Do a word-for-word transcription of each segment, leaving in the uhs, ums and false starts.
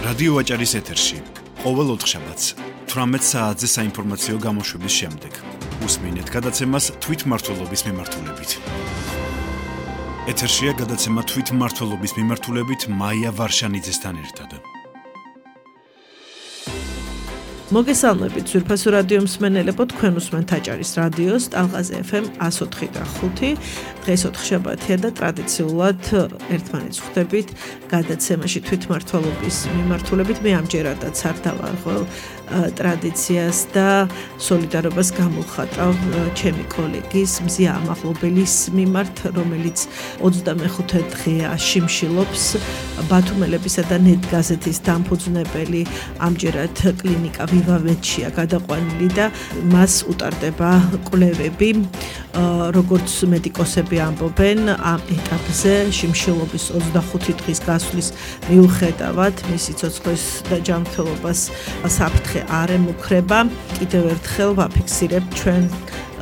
რადიო ვაჭარის ეთერში ყოველ ოთხშაბათს თვრამეტ საათზე საინფორმაციო გამოშვების შემდეგ უსმინეთ გადაცემას თვითმმართველობის მიმართულებით. ეთერშია გადაცემა თვითმმართველობის მიმართულებით მაია ვარშანიძესთან ერთად. მოგესალმებით ძვირფასო რადიო მსმენელებო, თქვენ უსმენთ აჭარის რადიოს ტალღაზე ეფ ემ εκατო ოთხი და ხუთი. დღეს ოთხშაბათია და ტრადიციულად ერთმანეთს ხვდებით გადაცემაში თვითმმართველობის მიმართულებით. მე ამჯერადაც არ დავარღვევ ტრადიციას და სოლიდარობას გამოვხატავ ჩემი კოლეგის მზია ამაღლობელის მიმართ, რომელიც ოცდამეხუთე დღეა შიმშილობს. ბათუმელებისა და ნეტ გაზეთის დამფუძნებელი ამჯერად კლინიკა ვივავეთშია გადაყვანილი და მას უტარდება კვლევები. როგორც მედიკოსები ამბობენ, ამ ეტაპზე შიმშილობის ოცდახუთი დღის გასვლის მიუხედავად მისი ცოცხლის და ჯანმრთელობას საფრთხე არ ემუქრება. კიდევ ერთხელ ვაფიქსირებ ჩვენ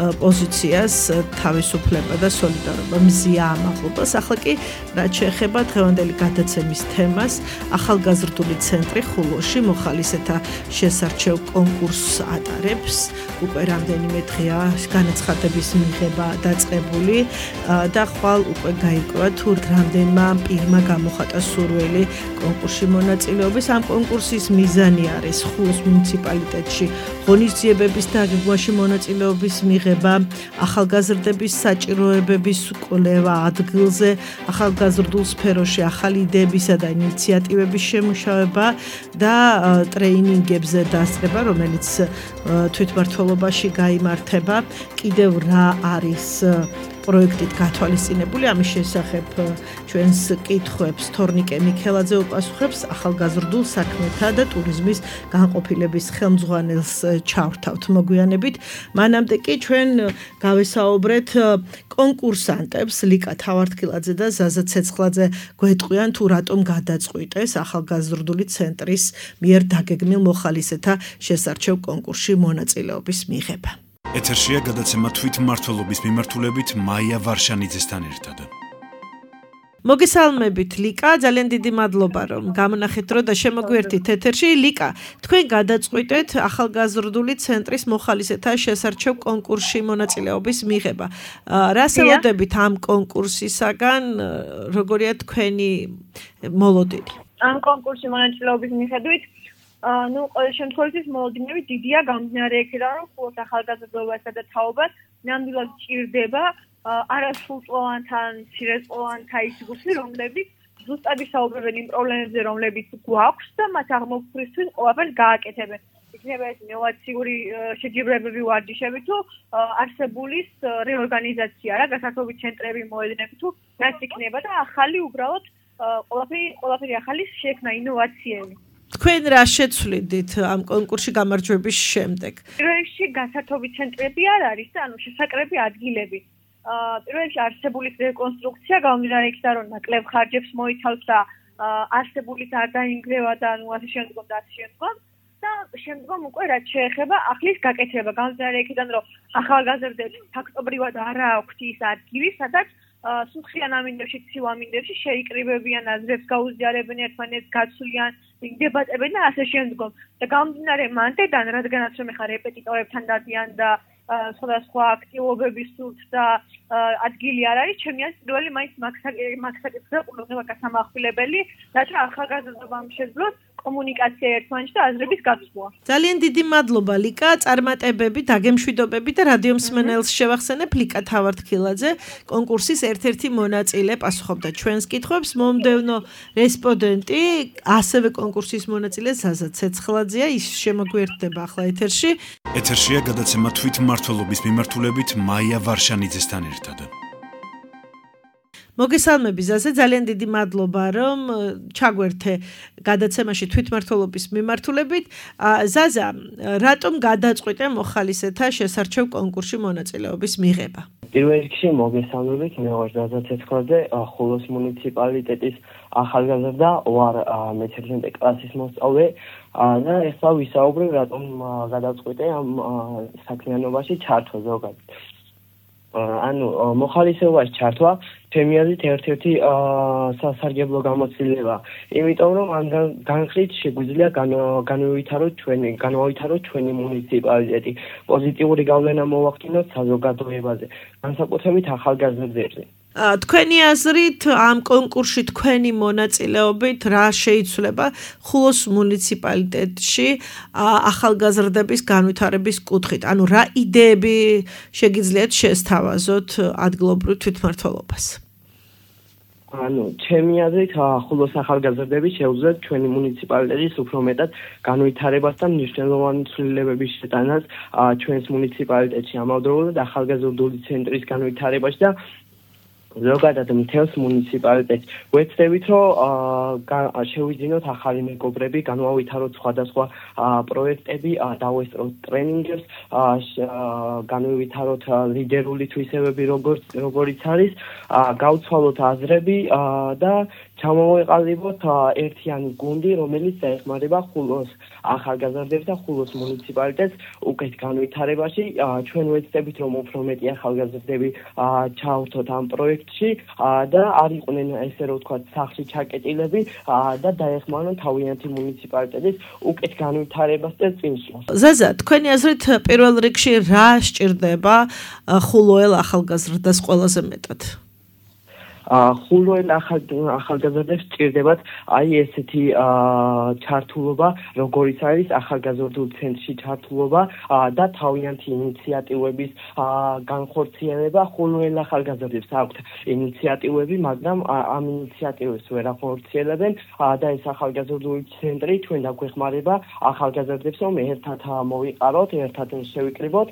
პოზიციას, თავისუფლება და სოლიდარობა მზია ამაღლობას. ახლა კი რაც შეეხება დღევანდელი გადაცემის თემას, ახალგაზრდული ცენტრი ხულოში მოხალისეთა შესარჩევ კონკურსს ატარებს. უკვე რამდენიმე დღეა განაცხადების მიღება დაწყებული და ხვალ უკვე გაირკვევა თუ რამდენმა პირმა გამოხატა სურვილი კონკურსში მონაწილეობის. ამ კონკურსის მიზანი არის ხულოს მუნიციპალიტეტში ღონისძიებების დაგეგმვაში მონაწილეობის მიღება, ახალგაზრდების საჭიროებების კვლევა ადგილზე, ახალგაზრდულ სფეროში ახალი იდეებისა და ინიციატივების შემუშავება და ტრეინინგებზე დასწრება, რომელიც თვითმმართველობაში გაიმართება. კიდევ რა არის პროექტით გათვალისწინებული, ამის შესახებ ჩვენს კითხვებს თორნიკე მიქელაძე უპასუხებს, ახალგაზრდულ საქმეთა და ტურიზმის განყოფილების ხელმძღვანელს ჩავრთავთ მოგვიანებით. მანამდე კი ჩვენ გავესაუბრეთ კონკურსანტებს, ლიკა თავართქილაძე და ზაზა ცეცხლაძე გვეტყვიან თუ რატომ გადაწყვიტეს ახალგაზრდული ცენტრის მიერ დაგეგმილ მოხალისეთა შესარჩევ კონკურსში მონაწილეობის მიღება. ეთერშია გადაცემა თვითმმართველობის მიმართულებით მაია ვარშანიძესთან ერთად. მოგესალმებით ლიკა, ძალიან დიდი მადლობა რომ გამონახეთ დრო და შემოგვერთით ეთერში. ლიკა, თქვენ გადაწყვიტეთ ახალგაზრდული ცენტრის მოხალისეთა შესარჩევ კონკურსში მონაწილეობის მიღება. რას ელოდებით ამ კონკურსისაგან, როგორია თქვენი მოლოდინი? ამ კონკურსში მონაწილეობის მიხედვით ну, ყოველ შემთხვევაში მოლოდინები დიდია გამდინარე იქიდან, რომ ხულოს ახალგაზრდობასა და თაობას ნამდვილად ჭირდება არასრულწლოვანთან, მცირეწლოვანთა ის ჯგუფი, რომლებიც ზუსტად ისაუბრებენ იმ პრობლემებზე, რომლებიც გვაქვს და მათ აღმოფხვრისთვის ყველაფერს გააკეთებენ. იქნება ეს ინოვაციური შეჯიბრებები ვარჯიშები თუ არსებულის რეორგანიზაცია, რა გასართობი ცენტრები მოედნები თუ რაც იქნება და ახალი უბრალოდ ყველაფერი ყველაფერი ახალი შექმნა ინოვაციები. თქვენ რა შეცვლიდით ამ კონკურსში გამარჯვების შემდეგ? პირველ რიგში გასართობი ცენტრები არ არის და ანუ შესაკრები ადგილები. პირველ რიგში არსებული რეკონსტრუქცია გამომდინარე იქიდან, რომ ნაკლებ ხარჯებს მოიცავს და არსებული არ დაინგრევა და ანუ ასე შემდგომ და ასე შემდგომ და შემდგომ უკვე რაც შეეხება ახლის გაკეთება. გამომდინარე იქიდან, რომ ახალგაზრდებს ფაქტობრივად არ აქვთ ის ადგილი, სადაც სუხიან ამინდებში, ცივა ამინდებში შეიკრიბებიან, აზრებს გაუზიარებენ, ერთმანეთს გაცვლიან, დებატებენ და ასე შემდგომ. და გამომდინარე მანდედან, რადგანაც რომ ეხა რეპეტიტორებთან დადიან და სხვადასხვა აქტივობების სურთ და ადგილი არ არის, ჩემი აზრით პირველი მაინც მაგსაკითხზე ყურადღება გასამახვილებელი, რაც ახალგაზრდობამ შეძლოს კომუნიკაცია ერთმანეთში და აზრების გაცვლა. ძალიან დიდი მადლობა ლიკა, წარმატებები, დაგემშვიდობები და რადიო მსმენელს შევახსენებ ლიკა თავართქილაძე, კონკურსის ერთ-ერთი მონაწილე პასუხობდა ჩვენს კითხვებს. მომდევნო რესპონდენტი, ასევე კონკურსის მონაწილე ზაზა ცეცხლაძეა, ის შემოგვიერთდება ახლა ეთერში. ეთერშია გადაცემა თვითმმართველობის მიმართულებით მაია ვარშანიძესთან ერთად. მოგესალმები ზაზა, ძალიან დიდი მადლობა რომ ჩაგვერთე გადაცემაში თვითმმართველობის მიმართულებით. ზაზა, რატომ გადაწყვიტე მოხალისეთა შესარჩევ კონკურსში მონაწილეობის მიღება? პირველ რიგში მოგესალმებით, მე ვარ ზაზა ცეცხლაძე, ხულოს მუნიციპალიტეტის ახალგაზრდა, ვარ მეთერთმეტე კლასის მოსწავლე და ეხლა ვისაუბრებ რატომ გადაწყვიტე ამ საქმიანობაში ჩართვა ზოგადად. ანუ მოხალისეობაში ჩართვა ჩემი აზრით ერთ-ერთი სასარგებლო გამოცდილება, იმიტომ რომ ამ განხრით შეგვიძლია განვივითაროთ ჩვენი განვავითაროთ ჩვენი მუნიციპალიტეტი, პოზიტიური გავლენა მოვახდინოთ საზოგადოებაზე, განსაკუთრებით ახალგაზრდებზე. თქვენი აზრით ამ კონკურსში თქვენი მონაწილეობით რა შეიცვლება ხულოს მუნიციპალიტეტში ახალგაზრდების განვითარების კუთხით? ანუ რა იდეები შეგიძლიათ შესთავაზოთ ადგილობრივ თვითმმართველობას? ანუ ჩემი აზრით ხულოს ახალგაზრდები შეუძლიათ ჩვენი მუნიციპალიტეტის უფრო მეტად განვითარებას და მნიშვნელოვანი ცვლილებების შეტანას ჩვენს მუნიციპალიტეტში, ამავდროულად ახალგაზრდული ცენტრის განვითარებაში და ზოგადად მთელს მუნიციპალიტეტს. ვეცდებით, რომ შევიძინოთ ახალი მეგობრები, განვავითაროთ სხვადასხვა პროექტები, დავესწროთ ტრენინგებს, განვივითაროთ ლიდერული თვისებები, როგორიც არის, გავცვალოთ აზრები და ჩამოვეყალიბოთ ერთიანი გუნდი, რომელიც დაეხმარება ხულოს ახალგაზრდებს და ხულოს მუნიციპალიტეტს უკეთ განვითარებაში. ჩვენ ვეცდებით, რომ უფრო მეტი ახალგაზრდები ჩავრთოთ ამ პროექტში და არ იყვნენ ესე რომ ვთქვათ სახლში ჩაკეტილები და დაეხმარონ თავიანთი მუნიციპალიტეტის უკეთ განვითარებას და წინსვლას. ზაზა, თქვენი აზრით პირველ რიგში რა სჭირდება ხულოელ ახალგაზრდას ყველაზე მეტად? ხულოელ ახალგაზრდებს სჭირდებათ აი ესეთი ჩართულობა, როგორიც არის ახალგაზრდულ ცენტრში ჩართულობა და თავიანთი ინიციატივების განხორციელება. ხულოელ ახალგაზრდებს აქვთ ინიციატივები, მაგრამ ამ ინიციატივებს ვერ ახორციელებენ და ეს ახალგაზრდული ცენტრი ჩვენ დაგვეხმარება ახალგაზრდებს, რომ ერთად მოვიყაროთ, ერთად შევიკრიბოთ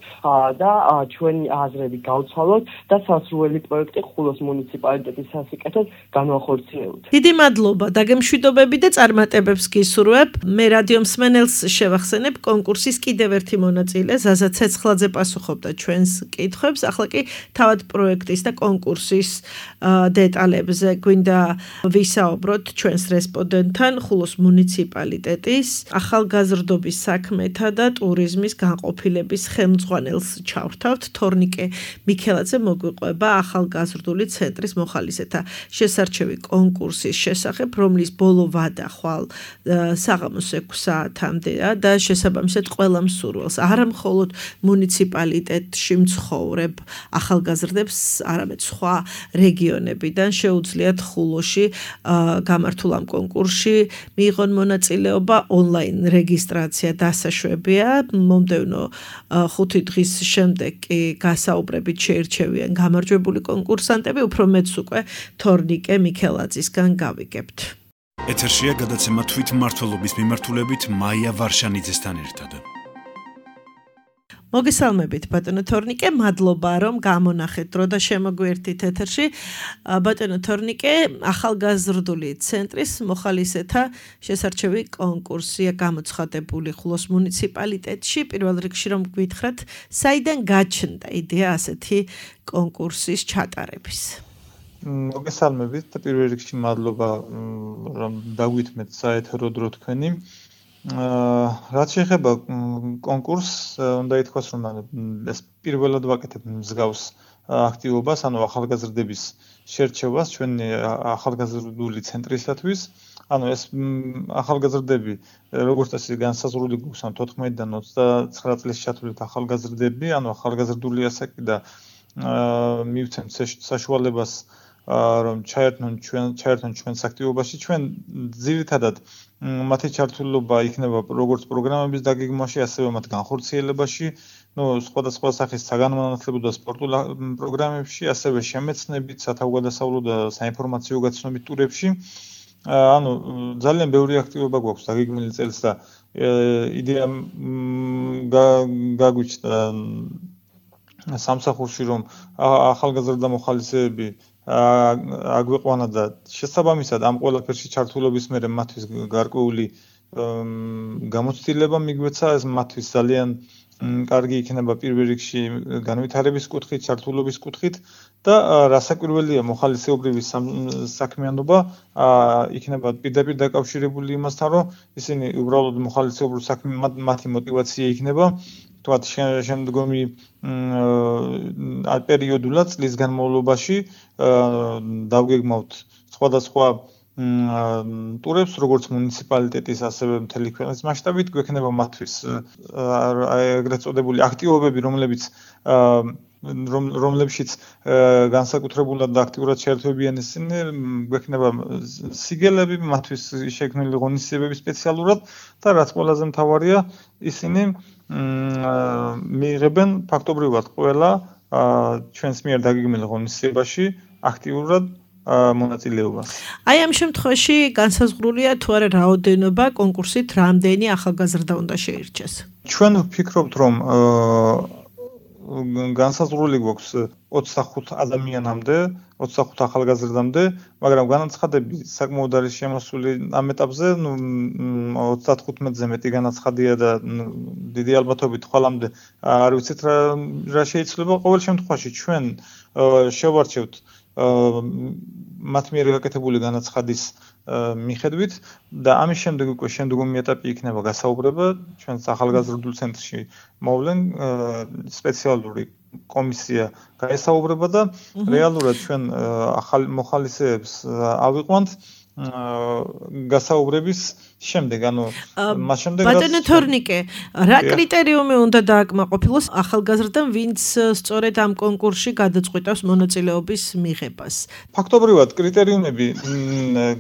და ჩვენი აზრები გავცვალოთ და სასრული პროექტი ხულოს მუნიციპალიტეტის სასიკეთოდ განვახორციელოთ. დიდი მადლობა დაგემშვიდობები და წარმატებებს გისურვებ. მე რადიო მსმენელს შევახსენებ კონკურსის კიდევ ერთი მონაწილე ზაზა ცეცხლაძე პასუხობდა ჩვენს კითხვებს. ახლა კი თავად პროექტის და კონკურსის დეტალებზე გვინდა ვისაუბროთ ჩვენს რესპონდენტთან ხულოს მუნიციპალიტეტის ახალგაზრდობის საქმეთა და ტურიზმის განყოფილების ხელმძღვანელს ჩავრთავთ. თორნიკე მიქელაძე მოგვიყვება ახალგაზრდული ცენტრის მოხალისეთა შესარჩევი კონკურსის შესახებ, რომლის ბოლო ვადა ხვალ საღამოს ექვსი საათამდეა და შესაბამისად ყველა მსურველს, არა მხოლოდ მუნიციპალიტეტში მცხოვრებ ახალგაზრდებს, არამედ სხვა რეგიონებიდან შეუძლიათ ხულოში გამართულ ამ კონკურსში მიიღონ მონაწილეობა. ონლაინ რეგისტრაცია დასაშვებია. მომდევნო ხუთი დღის შემდეგ კი გასაუბრებით შეირჩევიან გამარჯვებული კონკურსანტები. უფრო მეც უკვე თორნიკე მიქელაძისგან გავიგებთ. ეთერშია გადაცემა თვითმმართველობის მიმართულებით მაია ვარშანიძესთან ერთად. მოგესალმებით ბატონო თორნიკე, მადლობა რომ გამონახეთ დრო და შემოგვერთით ეთერში. ბატონო თორნიკე, ახალგაზრდული ცენტრის მოხალისეთა შესარჩევი კონკურსია გამოცხადებული ხულოს მუნიციპალიტეტში. პირველ რიგში რომ გვითხრათ, საიდან გაჩნდა იდეა ასეთი კონკურსის ჩატარების? მოგესალმებით და პირველ რიგში მადლობა რომ დაგვითმეთ საეთერო დრო თქვენი. რაც შეეხება კონკურსს, უნდა ითქვას, რომ ეს პირველად ვაკეთებ მსგავს აქტივობას, ანუ ახალგაზრდების შერჩევას ჩვენი ახალგაზრდული ცენტრისათვის. ანუ ეს ახალგაზრდები, როგორც წესი, განსაზღვრული გვაქვს თოთხმეტიდან ოცდაცხრა წლის ჩათვლით ახალგაზრდები, ანუ ახალგაზრდული ასაკი და მივცემთ საშუალებას რომ ჩაერთონ ჩვენ ჩაერთონ ჩვენს აქტივობაში. ჩვენ ძირითადად მათი ჩართულობა იქნება როგორც პროგრამების დაგეგმვაში, ასევე მათ განხორციელებაში, ну, სხვადასხვა სახის საგანმანათლებლო და სპორტულ პროგრამებში, ასევე შემეცნებით, სათავგადასავლო და საინფორმაციო გაცნობით ტურებში. ანუ ძალიან ბევრი აქტივობა გვაქვს დაგეგმილი წელს და იდეა გაგვიჩნდა სამსახურში, რომ ახალგაზრდა მოხალისეები აგვიყვანა და შესაბამისად ამ ყველაფერში ჩართულობის მერე მათთვის გარკვეული გამოცდილება მიგვეცა. ეს მათთვის ძალიან კარგი იქნება პირველ რიგში განვითარების კუთხით, ჩართულობის კუთხით და რასაკვირველია მოხალისეობრივი საქმიანობა იქნება პირდაპირ დაკავშირებული იმასთან, რომ ისინი უბრალოდ მოხალისეობრივ საქმე მათი мотиваცია იქნება თქვათ შემდგომი პერიოდულად წლის განმავლობაში დავგეგმავთ სხვადასხვა ტურებს, როგორც მუნიციპალიტეტის, ასევე მთელი ქვეყნის მასშტაბით გვექნება მათთვის ეგრეთ წოდებული აქტივობები, რომლებიც რომლებშიც განსაკუთრებულად და აქტიურად შეერთებიან ისინი, გვექნება სიგელები, მათთვის შექმნილი ღონისძიებები სპეციალურად და რაც ყველაზე მთავარია, ისინი მიიღებენ ფაქტობრივად ყველა ჩვენს მიერ დაგეგმილ ღონისძიებაში აქტიურად მონაწილეობას. Აი ამ შემთხვევაში განსაზღვრულია თუ არა რაოდენობა კონკურსით რამდენი ახალგაზრდა უნდა შეირჩეს. ჩვენ ვფიქრობთ რომ განსაზღვრული გვაქვს ოცდახუთ ადამიანამდე, ოცდახუთ ახალგაზრდამდე, მაგრამ განაცხადები საკმაოდ არის შემოსული ამ ეტაპზე, ნუ ოცდათხუთმეტზე მეტი განაცხადია და დიდი ალბათობით ხვალამდე არ ვიცით რა რა შეიძლება. ყოველ შემთხვევაში ჩვენ შევარჩევთ მათ მიერ გაკეთებული განაცხადის მიხედვით და ამის შემდეგ უკვე შემდგომი ეტაპი იქნება გასაუბრება ჩვენს ახალგაზრდულ ცენტრში მოვლენ სპეციალური კომისია გაესაუბრება და რეალურად ჩვენ ახალ მოხალისეებს ავიყვანთ გასაუბრების შემდეგ, ანუ მას შემდეგ ბატონო თორნიკე, რა კრიტერიუმი უნდა დააკმაყოფილოს ახალგაზრდამ, ვინც სწორედ ამ კონკურსში გადაწყვიტავს მონაწილეობის მიღებას? ფაქტობრივად კრიტერიუმები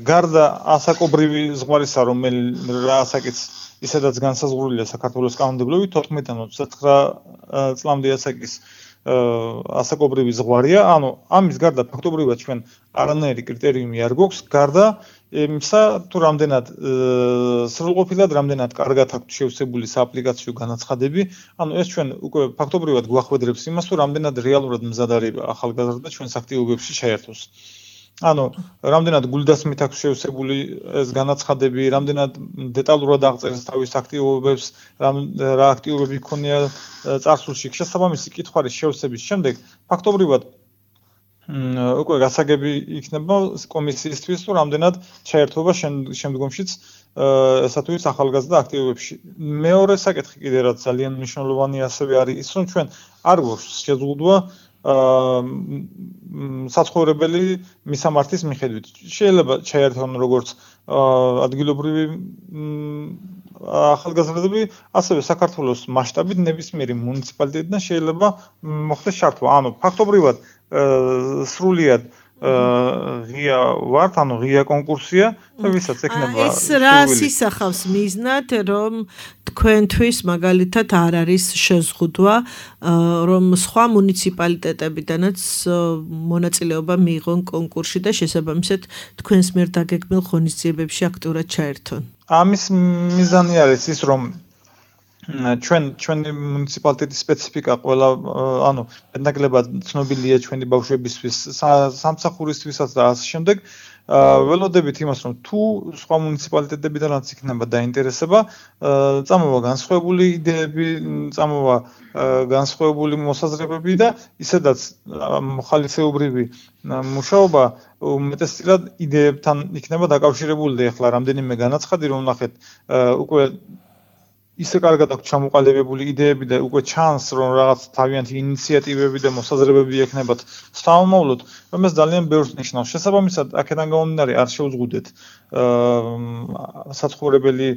გარდა ასაკობრივი ზღვარისა, რომელიც რა ასაკიც ისედაც განსაზღვრულია საქართველოს კანონმდებლობით თოთხმეტიდან ოცდათხრა წლამდე ასაკის ასაკობრივი ზღვარია, ანუ ამის გარდა ფაქტობრივად ჩვენ არანაირი კრიტერიუმი არ გვაქვს, გარდა იმისა, თუ რამდენად სრულყოფილად, რამდენად კარგად აქვს შევსებული სააპლიკაციო განაცხადები, ანუ ეს ჩვენ უკვე ფაქტობრივად გვახვედრებს იმას, თუ რამდენად რეალურად მზად არის ახალგაზრდა ჩვენს აქტივობებში შეერთოს. ანუ რამდენად გულდასმით აქვს შევსებული ეს განაცხადები, რამდენად დეტალურად აღწერს თავის აქტივობებს, რა აქტივობები ქონია წარსულში. შესაბამისი კითხვარის შევსების შემდეგ ფაქტობრივად უკვე გასაგები იქნება კომისიისთვის, თუ რამდენად ჩაერთვება შემდგომშიც ესა თუ ის ახალგაზრდა აქტივობებში. მეორე საკითხი კიდე რაც ძალიან მნიშვნელოვანი ასევე არის ის, რომ ჩვენ არ გვაქვს შეზღუდვა საცხოვრებელი მისამართის მიხედვით. შეიძლება ჩაერთონ როგორც ადგილობრივი ახალგაზრდები, ასევე საქართველოს მასშტაბით ნებისმიერი მუნიციპალიტეტიდან შეიძლება მოხდეს ჩართვა. ანუ ფაქტობრივად სრულიად ღია ვართ, ანუ ღია კონკურსია და ვისაც ექნება ეს რას ისახავს მიზნად, რომ თქვენთვის მაგალითად არ არის შეზღუდვა, რომ სხვა მუნიციპალიტეტებიდანაც მონაწილეობა მიიღონ კონკურსში და შესაბამისად თქვენს მიერ დაგეგმილ ღონისძიებებში აქტიურად ჩაერთონ. ამის მიზანი არის ის, რომ ჩვენ ჩვენი მუნიციპალიტეტის სპეციფიკა ყველა ანუ მეტნაკლებად ცნობილია ჩვენი ბავშვებისთვის, სამსახურისთვისაც და ასე შემდეგ. ველოდებით იმას, რომ თუ სხვა მუნიციპალიტეტებიდანაც იქნება დაინტერესება, წამოვა განსხვავებული იდეები, წამოვა განსხვავებული მოსაზრებები და ისედაც მოხალისეობრივი მუშაობა უმეტესწილად იდეებთან იქნება დაკავშირებული და ეხლა რამდენიმე განაცხადი რომ ნახეთ უკვე ისე კარგად აქვს ჩამოყალიბებული იდეები და უკვე ჩანს რომ რაღაც თავიანთი ინიციატივები და მოსაზრებები ექნებათ სამომავლოდ, რომ ეს ძალიან ბევრს ნიშნავს. შესაბამისად, აქედან გამომდინარე არ შევზღუდეთ საცხოვრებელი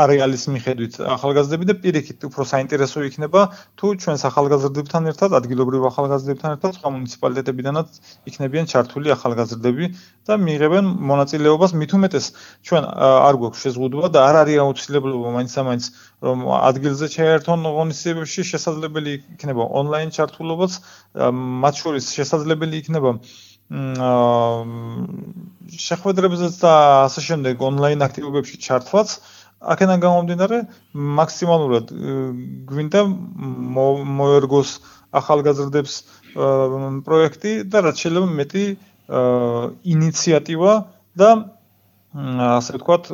არეალის მიხედვით ახალგაზრდები და პირიქით უფრო საინტერესო იქნება თუ ჩვენს ახალგაზრდებთან ერთად, ადგილობრივ ახალგაზრდებთან ერთად სხვა მუნიციპალიტეტებიდანაც იქნებიან ჩართული ახალგაზრდები და მიიღებენ მონაწილეობას. მით უმეტეს ჩვენ არ გვაქვს შეზღუდვა და არ არის აუცილებლობა მაინც-ამაინც რომ ადგილზე ჩაერთონ ღონისძიებებში, შესაძლებელი იქნება ონლაინ ჩართულობაც, მათ შორის შესაძლებელი იქნება შეხვედრებზეც და ასე შემდეგ ონლაინ აქტივობებში ჩართვაც. აქედან გამომდინარე მაქსიმალურად გვინდა მოერგოს ახალგაზრდებს პროექტი და რაც შეიძლება მეტი ინიციატივა და ასე ვთქვათ,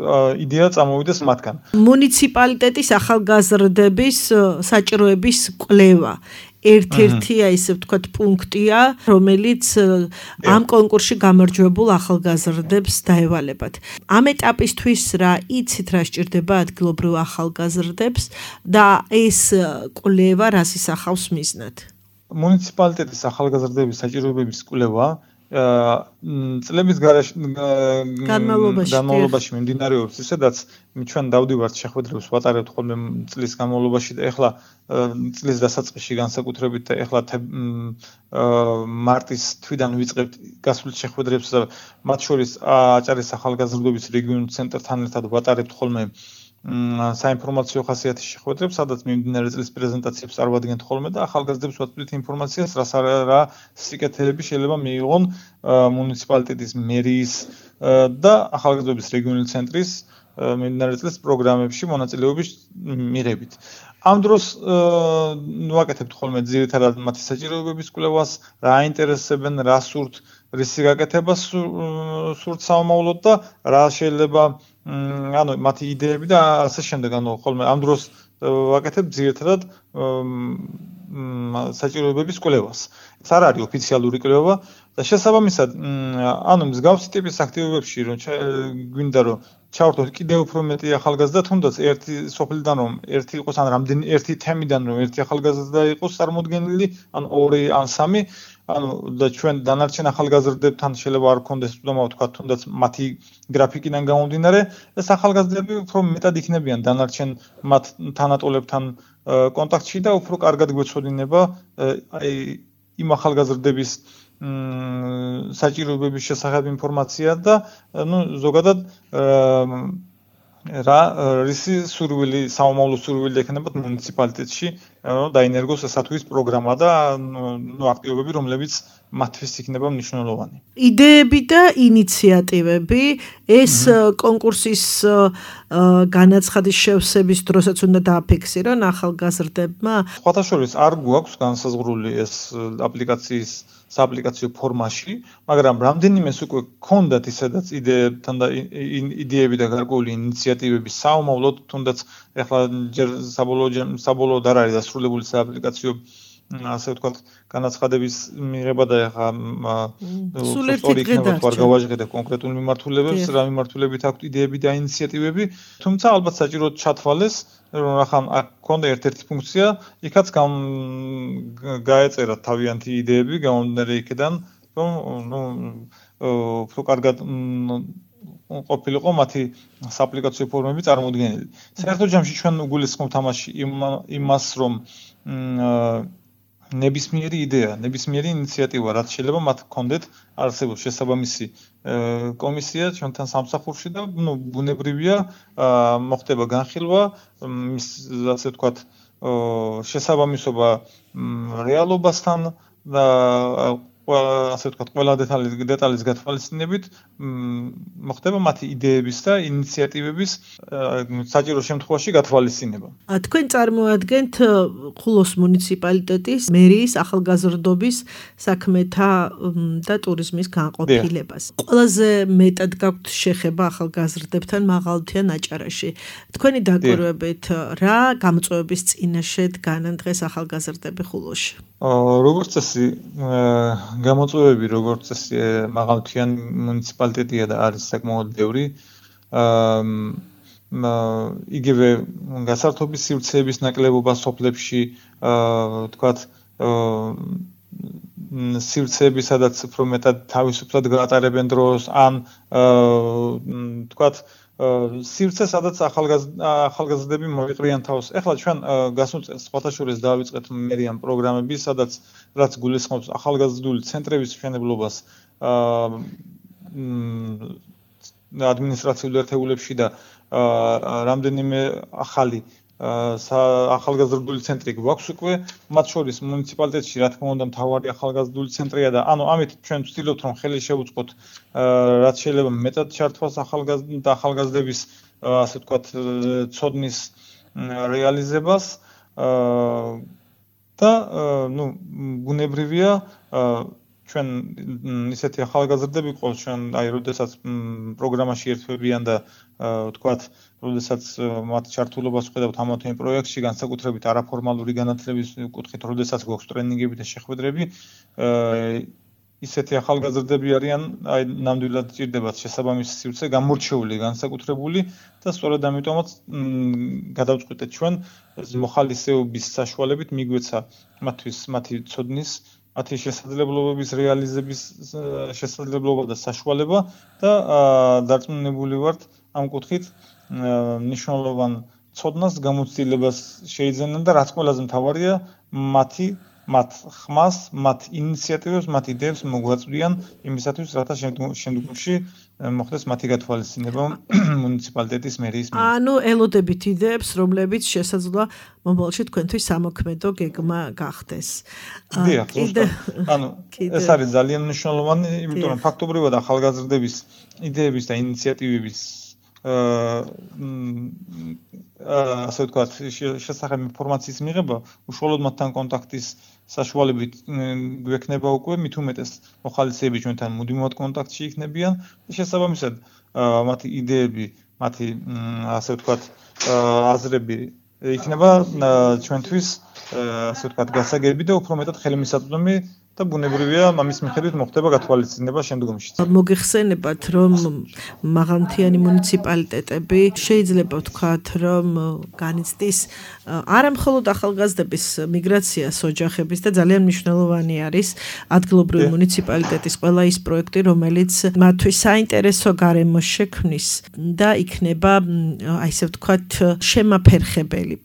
იდეა წამოვიდეს მათგან. მუნიციპალიტეტის ახალგაზრდების საჭიროების კვლევა. ერთ-ერთი აი ესე ვთქვათ პუნქტია, რომელიც ამ კონკურსში გამარჯვებულ ახალგაზრდებს დაევალებათ. ამ ეტაპისთვის რა იცით რა სჭირდება ადგილობრივ ახალგაზრდებს და ეს კვლევა რას ისახავს მიზნად? მუნიციპალიტეტის ახალგაზრდების საჭიროებების კვლევა წლების განმავლობაში მიმდინარეობს, ისედაც ჩვენ დავდივართ შეხვედრებს ვატარებთ ხოლმე წლის განმავლობაში და ეხლა წლის დასაწყისში განსაკუთრებით და ეხლა მარტის თვიდან ვიწყებთ გასულ შეხვედრებს და მათ შორის აჭარის ახალგაზრდობის რეგიონულ ცენტრთან ერთად ვატარებთ ხოლმე საინფორმაციო ხასიათის შეხვედრებს, სადაც მიმდინარე წლის პრეზენტაციებს წარვადგენთ ხოლმე და ახალგაზრდებს ვაწვდით ინფორმაციას, რა რა სიკეთეები შეიძლება მიიღონ მუნიციპალიტეტის მერიის და ახალგაზრდობის რეგიონული ცენტრის მიმდინარე წლის პროგრამებში მონაწილეობის მიღებით. ამ დროს ვაკეთებთ ხოლმე ძირითადად მათი საჭიროებების კვლევას, რა აინტერესებენ, რა სურთ, რისი გაკეთება სურთ საომავლოდ და რა შეიძლება ანუ მათი იდეები და ასე შემდეგ, ანუ ხოლმე ამ დროს ვაკეთებ ძირითადად საჭიროებების კვლევას. ეს არ არის ოფიციალური კვლევა და შესაბამისად, ანუ მსგავსი ტიპის აქტივობებში რომ გვინდა რომ ჩავართოთ კიდევ უფრო მეტი ახალგაზრდა, თუნდაც ერთი სოფლიდან რომ ერთი იყოს ან რამდენი ერთი თემიდან რომ ერთი ახალგაზრდა იყოს წარმოდგენილი, ან ორი ან სამი, ანუ და ჩვენ დანარჩენ ახალგაზრდებთან შეიძლება არ გქონდეს უდამა თქვა, თუნდაც მათი გრაფიკიდან გამომდინარე, ეს ახალგაზრდები უფრო მეტად იქნებიან დანარჩენ მათ თანატოლებთან კონტაქტში და უფრო კარგად გვეცოდინება აი იმ ახალგაზრდების საჭიროებების შესახებ ინფორმაცია და ну ზოგადად რა რისი სურვილი საომავლო სურვილი ექნებათ მუნიციპალიტეტში რომ დაინერგოს ესათვის პროგრამა და ну აქტივობები რომლებიც მათთვის იქნება მნიშვნელოვანი. იდეები და ინიციატივები ეს კონკურსის განაცხადის შევსების დროსაც უნდა დააფიქსირონ ახალგაზრდებმა. სხვათა შორის არ გვაქვს განსაზღვრული ეს აპლიკაციის სააპლიკაციო ფორმაში, მაგრამ რამდენიმეს უკვე გქონდათ ისედაც იდეებთან და იდეები და გარკვეული ინიციატივები საომავლოდ, თუნდაც ეხლა ჯერ საბოლოო საბოლოოდ არ არის დასრულებული სააპლიკაციო ასე ვთქვათ, განაცხადების მიღება და ეხლა სულ ერთი დღე არ გავაჟღერებ კონკრეტულ მიმართულებებს, რა მიმართულებით აქვს იდეები და ინიციატივები, თუმცა ალბათ საჭიროდ ჩათვალეს, რომ ახლა აქ ქონდა ერთ-ერთი ფუნქცია, იქაც გაეწერა თავიანთი იდეები, გამომდინარე იქიდან, რომ ნუ უფრო კარგად ყოფილიყო მათი სააპლიკაციო ფორმები წარმოდგენილი. საერთო ჯამში ჩვენ უგულისხმობთ ამაში იმას, რომ ნებისმიერი იდეა, ნებისმიერი ინიციატივა, რაც შეიძლება მათ გქონდეთ, არსებობს შესაბამისი კომისია ჩვენთან სამსახურში და ნუ ბუნებრივია მოხდება განხილვა, ასე ვთქვათ, შესაბამისობა რეალობასთან და ასე ვთქვათ, ყველა დეტალის დეტალის გათვალისწინებით მოხდება მათი იდეების და ინიციატივების საჭირო შემთხვევაში გათვალისწინება. თქვენ წარმოადგენთ ხულოს მუნიციპალიტეტის მერიის ახალგაზრდობის საქმეთა და ტურიზმის განყოფილებას. ყველაზე მეტად გაქვთ შეხება ახალგაზრდებთან მაღალმთიან აჭარაში. თქვენი დაკვირვებით რა გამოწვევების წინაშე დგანან დღეს ახალგაზრდები ხულოში? როგორც წესი გამოწვევები როგორც წესი მაღალმთიან მუნიციპალიტეტია და არის საკმაოდ ბევრი. იგივე გასართობის სივრცეების ნაკლებობა სოფლებში, თქვათ, სივრცეები, სადაც უფრო მეტად თავისუფლად გაატარებენ დროს, ან თქვათ, სივრცე, სადაც ახალგაზრდები მოიყრიან თავს. ეხლა ჩვენ გასულ წელს სხვათა შორის დავიწყეთ მერიან პროგრამები, სადაც რაც გულისხმობს ახალგაზრდული ცენტრების მშენებლობას ადმინისტრაციულ ერთეულებში და რამდენიმე ახალი ახალგაზრდული ცენტრი გვაქვს უკვე, მათ შორის მუნიციპალიტეტში რა თქმა უნდა მთავარი ახალგაზრდული ცენტრია და ანუ ამით ჩვენ ვცდილობთ რომ ხელი შევუწყოთ რაც შეიძლება მეტად ჩართვას ახალგაზრდების ასე ვთქვათ ცოდნის რეალიზებას და ну ბუნებრივია ჩვენ ისეთი ახალგაზრდები ყავს ჩვენ აი როდესაც პროგრამაში ერთვებიან და ვთქვათ როდესაც მათ ჩართულობას ვხედავთ ამ ამ პროექტში განსაკუთრებით არაფორმალური განათლების კუთხით როდესაც გვაქვს ტრენინგები და შეხვედრები ისეთი ახალგაზრდები არიან აი ნამდვილად ჭირდებათ შესაბამისი სივრცე გამორჩეული განსაკუთრებული და სწორედ ამიტომაც გადავწყვიტეთ ჩვენ მოხალისეობის საშუალებით მიგვეცა მათთვის მათი ცოდნის მათი შესაძლებლობების რეალიზების შესაძლებლობა და საშუალება და დარწმუნებული ვართ ამ კუთხით მნიშვნელოვან ცოდნას გამოცდილებას შეიძენენ და რაც ყველაზე მთავარია მათი მათ ხმას, მათ ინიციატივებს, მათ იდეებს მოგვაწვდიან იმისათვის, რათა შემდგომში მოხდეს მათი გათვალისწინება მუნიციპალიტეტის მერიის მიერ. ანუ ელოდებით იდეებს, რომლებიც შესაძლოა მომავალში თქვენთვის სამოქმედო გეგმა გახდეს. დიახ, ანუ ეს არის ძალიან მნიშვნელოვანი, იმიტომ რომ ფაქტობრივად ახალგაზრდების იდეების და ინიციატივების ასე ვთქვათ, შესახებ ინფორმაციის მიღება უშუალოდ მათთან კონტაქტის საშუალებით გვექნება უკვე მით უმეტეს მოხალისეები ჩვენთან მუდმივად კონტაქტში იქნებიან და შესაბამისად მათი იდეები, მათი ასე ვთქვათ, აზრები იქნება ჩვენთვის ასე ვთქვათ, გასაგები და უფრო მეტად ხელმისაწვდომი და ბუნებრივია ამის მიხედვით მოხდება გათვალისწინება შემდგომში. მოგეხსენებათ, რომ მაღალმთიანი მუნიციპალიტეტები შეიძლება ვთქვათ, რომ განიცდის არა მხოლოდ ახალგაზრდების მიგრაციას ოჯახების და ძალიან მნიშვნელოვანი არის ადგილობრივი მუნიციპალიტეტის ყველა ის პროექტი, რომელიც მათთვის საინტერესო გარემოს შექმნის და იქნება აი ესე ვთქვათ შემაფერხებელი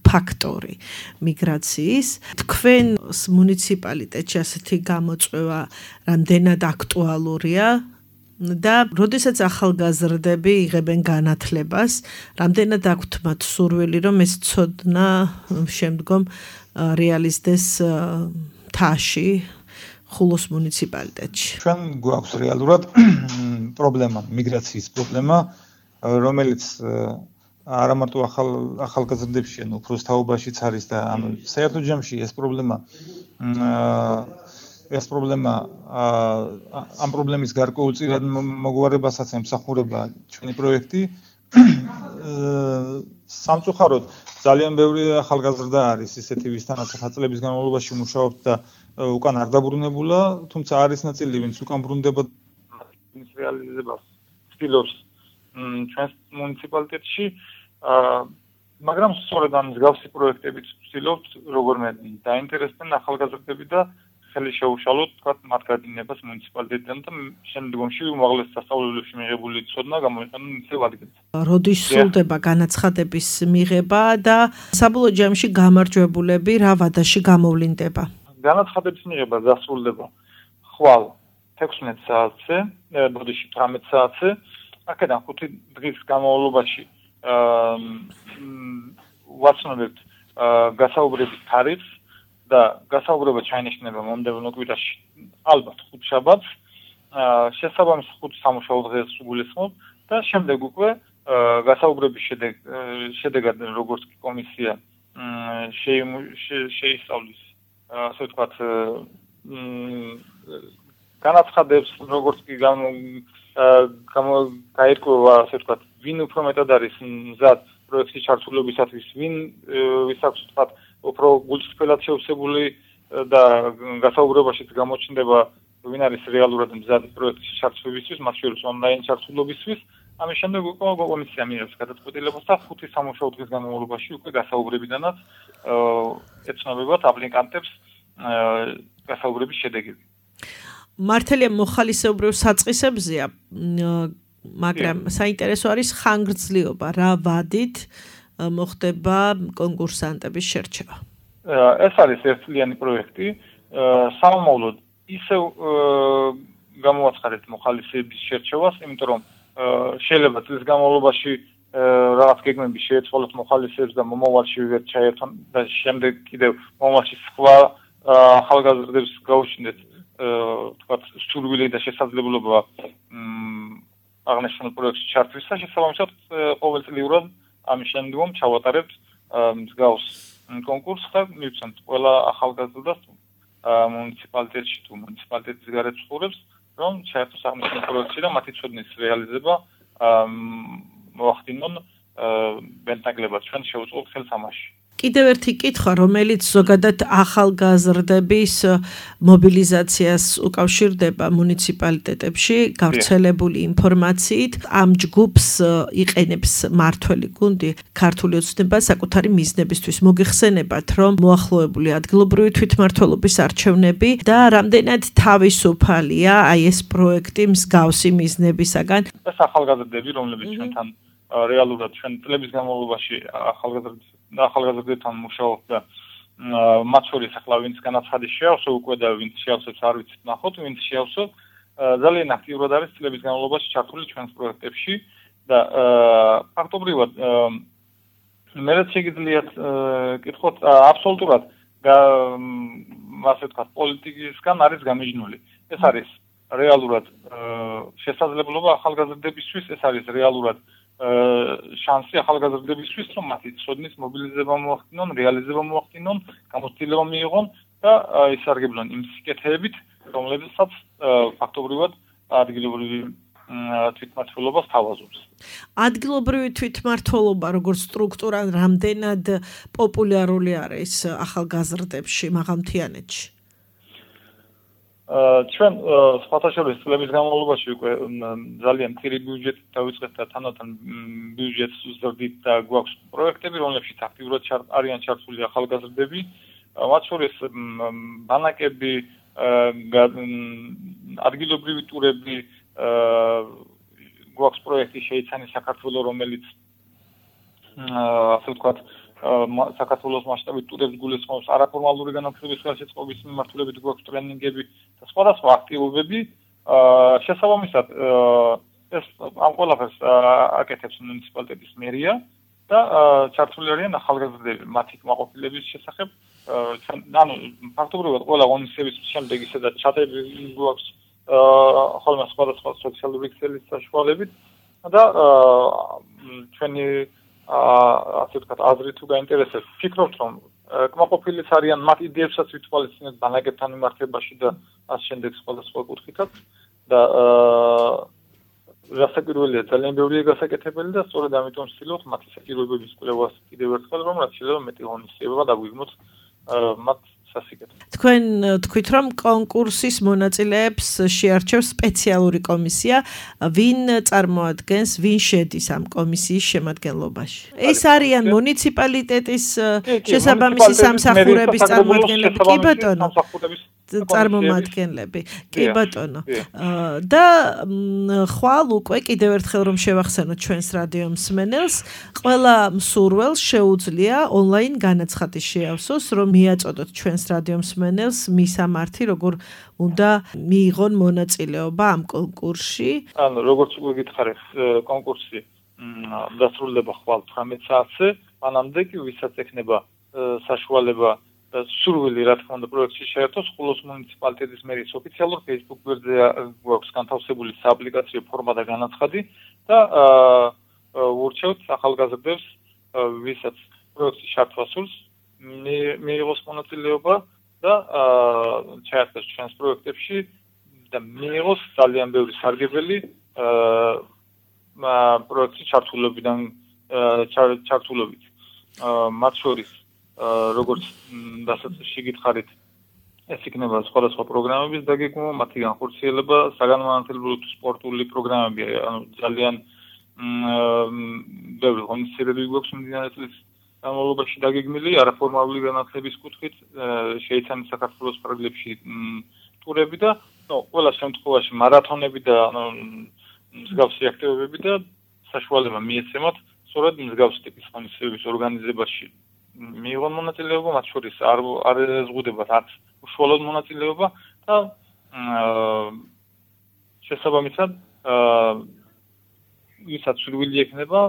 ფაქტორი მიგრაციის. თქვენ მუნიციპალიტეტში ასეთი გამოწვევა რამდენად აქტუალურია და როდესაც ახალგაზრდები იღებენ განათლებას, რამდენად აქვთ მათ სურვილი, რომ ეს ცოდნა შემდგომ რეალიზდეს თაში ხულოს მუნიციპალიტეტში. ჩვენ გვაქვს რეალურად პრობლემა, მიგრაციის პრობლემა, რომელიც არა მარტო ახალ ახალგაზრდებში, ანუ უფროს თაობაშიც არის და ანუ საერთო ჯამში ეს პრობლემა ეს პრობლემა ამ პრობლემის გარკვეულწილად მოგვარებასაც ემსახურება ჩვენი პროექტი. სამწუხაროდ ძალიან ბევრი ახალგაზრდა არის ისეთი ვისთანაც ხუთ წლების განმავლობაში მუშაობთ და უკან არ დაბრუნებულა, თუმცა არის ნაწილი, ვინც უკან ბრუნდება ის რეალიზებას ცდილობს ჩვენს მუნიციპალიტეტში, მაგრამ სწორედ ამ მსგავსი პროექტებით ვცდილობთ როგორმე დაინტერესდნენ ახალგაზრდები და ხელი შეუშალოთ თქვათ მათ გადინებას მუნიციპალიტეტიდან და შემდგომში უმაღლეს სასწავლებლებში მიღებული ცოდნა გამოიყენონ ისევ ადგილზე. როდის სრულდება განაცხადების მიღება და საბოლოო ჯამში გამარჯვებულები რა ვადაში გამოვლინდება? განაცხადების მიღება დასრულდება ხვალ თექვსმეტ საათზე, ბოდიში თვრამეტ საათზე. აქედან ხუთი დღის განმავლობაში ვაცნობებთ გასაუბრების თარიღს და გასაუბრება ჩაინიშნება მომდევნო კვირაში ალბათ ხუთშაბათს, შესაბამის ხუთ სამუშაო დღეს გულისხმობ და შემდეგ უკვე გასაუბრების შედეგ შედეგად როგორც კი კომისია შეისწავლის ასე ვთქვათ განაცხადებს როგორც კი გაირკვევა ასე ვთქვათ ვინ უფრო მეტად არის მზად პროექტის ჩართულობისათვის, ვინ ვის აქვს ვთქვათ უფრო გულწრფელად შევსებული და გასაუბრებაშიც გამოჩნდება ვინ არის რეალურად მზად პროექტის ჩართულობისთვის, მათ შორის ონლაინ ჩართულობისთვის. ამის შემდეგ უკვე კომისია მიიღებს გადაწყვეტილებას და ხუთი სამუშაო დღის განმავლობაში უკვე გასაუბრებიდანაც ეცნობებათ აპლიკანტებს გასაუბრების შედეგები. მართალია მოხალისეობრივ საწყისებზეა, მაგრამ საინტერესო არის ხანგრძლივობა, რა ვადით მოხდება კონკურსანტების შერჩევა. ეს არის ერთწლიანი პროექტი, სამომავლოდ ისევ გამოვაცხადეთ მოხალისეების შერჩევას, იმიტომ რომ შეიძლება წლის განმავლობაში რაღაც გეგმები შეეცვალოთ მოხალისეებს და მომავალში ვერ ჩაერთონ და შემდეგ კიდევ მომავალში სხვა ახალგაზრდებს გაუჩნდეთ თქვათ სურვილი და შესაძლებლობა აღნიშნულ პროექტში ჩართვისა, შესაბამისად ყოველწლიურად ამის შემდგომ ჩავატარებთ მსგავს კონკურსს და მივცემთ ყველა ახალგაზრდას მუნიციპალიტეტში თუ მუნიციპალიტეტის გარეთ ცხოვრებს, რომ ჩაერთოს აღნიშნულ პროექტში და მათი ცოდნის რეალიზება მოახდინონ ბენტაგლებად ჩვენ შევუწყოთ ხელს ამაში. კიდევ ერთი კითხვა, რომელიც ზოგადად ახალგაზრდების მობილიზაციას უკავშირდება მუნიციპალიტეტებში, გავრცელებული ინფორმაციით, ამ ჯგუფს იყენებს მართველი გუნდი ქართული ოცნება საკუთარი მიზნებისთვის. მოგეხსენებათ, რომ მოახლოებული ადგილობრივი თვითმმართველობის არჩევნები და რამდენად თავისუფალია აი ეს პროექტი მსგავსი მიზნებისაგან. ეს ახალგაზრდები, რომლებიც ჩვენთან რეალურად ჩვენ წლების განმავლობაში ახალგაზრდებს და ახალგაზრდებთან მუშაობ და მათ შორის ახლა ვინც განაცხადი შეავსო უკვე და ვინც შეავსებს არ ვიცით ნახოთ ვინც შეავსო ძალიან აქტიურად არის წლების განმავლობაში ჩართული ჩვენს პროექტებში და ფაქტობრივად მე რაც შეგიძლიათ კითხოთ აბსოლუტურად ასე ვთქვათ პოლიტიკისგან არის გამიჯნული ეს არის რეალურად შესაძლებლობა ახალგაზრდებისთვის ეს არის რეალურად შანსი ახალგაზრდებისთვის რომ მათი ცოდნის მობილიზება მოახდინონ, რეალიზება მოახდინონ, გამოცდილება მიიღონ და ისარგებლონ იმ სიკეთეებით, რომლებსაც ფაქტობრივად ადგილობრივი თვითმმართველობა სთავაზობს. ადგილობრივი თვითმმართველობა როგორც სტრუქტურა რამდენად პოპულარული არის ახალგაზრდებში მაღალმთიანეთში? ჩვენ სხვათა შორის წლების განმავლობაში უკვე ძალიან მცირე ბიუჯეტით დავიწყეთ და თანათან ბიუჯეტს ვზრდით და გვაქვს პროექტები, რომლებშიც აქტიურად არიან ჩართული ახალგაზრდები, მათ შორის ბანაკები, ადგილობრივი ტურები, გვაქვს პროექტი შეიცანი საქართველოს, რომელიც ასე ვთქვათ საქართველოს მასშტაბით ტურებს გულისხმობს არაფორმალური განათლების ხელშეწყობის მიმართულებით გვაქვს ტრენინგები და სხვადასხვა აქტივობები შესაბამისად ეს ამ ყველაფერს აკეთებს მუნიციპალიტეტის მერია და ჩართული არიან ახალგაზრდები მათი კმაყოფილების შესახებ ანუ ფაქტობრივად ყველა ღონისძიების შემდეგ ისედაც ჩატები გვაქვს ხოლმე სხვადასხვა სოციალური ქსელის საშუალებით და ჩვენი ასე ვთქვათ, აზრი თუ გაინტერესებს, ფიქრობთ, რომ კმაყოფილიც არიან მათ იდეებსაც ვითვალისწინებთ ბანაკებთან მიმართებაში და ამ შემდეგ სხვადასხვა კუთხითაც და გასაკვირველია, ძალიან ბევრია გასაკეთებელი და სწორედ ამიტომ ვცდილობთ მათი საჭიროებების კვლევას კიდევ ერთხელ, რომ რაც შეიძლება მეტი ღონისძიება დაგვიგმოთ მათ სასიკეთოდ. თქვენ თქვით, რომ კონკურსის მონაწილეებს შეარჩევს სპეციალური კომისია, ვინ წარმოადგენს, ვინ შედის ამ კომისიის შემადგენლობაში? ეს არიან მუნიციპალიტეტის შესაბამისი სამსახურების წარმომადგენლები, კი ბატონო? წარმომადგენლები. კი ბატონო. და ხვალ უკვე კიდევ ერთხელ რომ შევახსენოთ ჩვენს რადიო მსმენელს, ყველა მსურველს შეუძლია ონლაინ განაცხადი შეავსოს, რომ მიაწოდოთ ჩვენს რადიო მსმენელს მისამართი, როგორ უნდა მიიღონ მონაწილეობა ამ კონკურსში. ანუ როგორც უკვე გითხარით, კონკურსი დასრულდება ხვალ თვრამეტ საათზე, მანამდე კი ვისაც ექნება საშუალება სურვილი რა თქმა უნდა პროექტში შეერთოს ხულოს მუნიციპალიტეტის მერიის ოფიციალურ Facebook გვერდზე გვაქვს განთავსებული სააპლიკაციო ფორმა და განაცხადი და ვურჩევთ ახალგაზრდებს ვისაც პროექტში ჩართვა სურს მიიღოს მონაწილეობა და ჩაერთოს ჩვენს პროექტებში და მიიღოს ძალიან ბევრი სარგებელი პროექტში ჩართულობიდან ჩართულობით მათ შორის როგორც დასაწყისში გითხარით, ეს იქნება სხვადასხვა პროგრამების დაგეგმვა, მათი განხორციელება, საგანმანათლებლო სპორტული პროგრამები, ანუ ძალიან ბევრი ღონისძიებები გვაქვს მიმდინარე წლის განმავლობაში დაგეგმილი, არაფორმალური განათლების კუთხით, შეიცანა საქართველოს პროგრამებში ტურები და, ნუ, ყველა შემთხვევაში მარათონები და მსგავსი აქტივობები და საშუალება მიეცემათ, სწორედ მსგავსი ტიპის ღონისძიებების ორგანიზებაში მიიღონ მონაწილეობა, მათ შორის არ არ ზღუდებათ არც უშუალოდ მონაწილეობა და შესაბამისად ვისაც სურვილი ექნება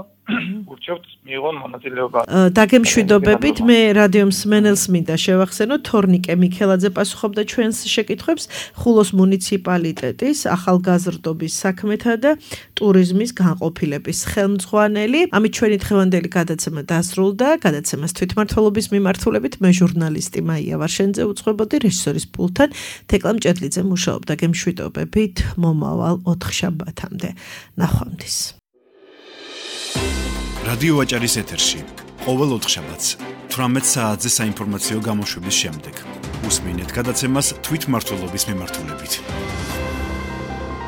ურჩევთ მიიღონ მონაწილეობა. დაგემშვიდობებით, მე რადიო მსმენელს მინდა შევახსენო, თორნიკე მიქელაძე პასუხობდა ჩვენს შეკითხვებს, ხულოს მუნიციპალიტეტის ახალგაზრდობის საქმეთა და ტურიზმის განყოფილების ხელმძღვანელი. ამით ჩვენი დღევანდელი გადაცემა დასრულდა. გადაცემას თვითმმართველობის მიმართულებით მე ჟურნალისტი მაია ვარშენძე უძღვებოდი, რეჟისორის პულტთან თეკლა მჭედლიძე მუშაობდა. გემშვიდობებით, მომავალ ოთხშაბათამდე. ნახვამდის. რადიო ვაჭარის ეთერში ყოველ ოთხშაბათს თვრამეტ საათზე საინფორმაციო გამოშვების შემდეგ უსმინეთ გადაცემას თვითმმართველობის მიმართულებით.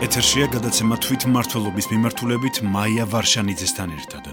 ეთერშია გადაცემა თვითმმართველობის მიმართულებით მაია ვარშანიძესთან ერთად.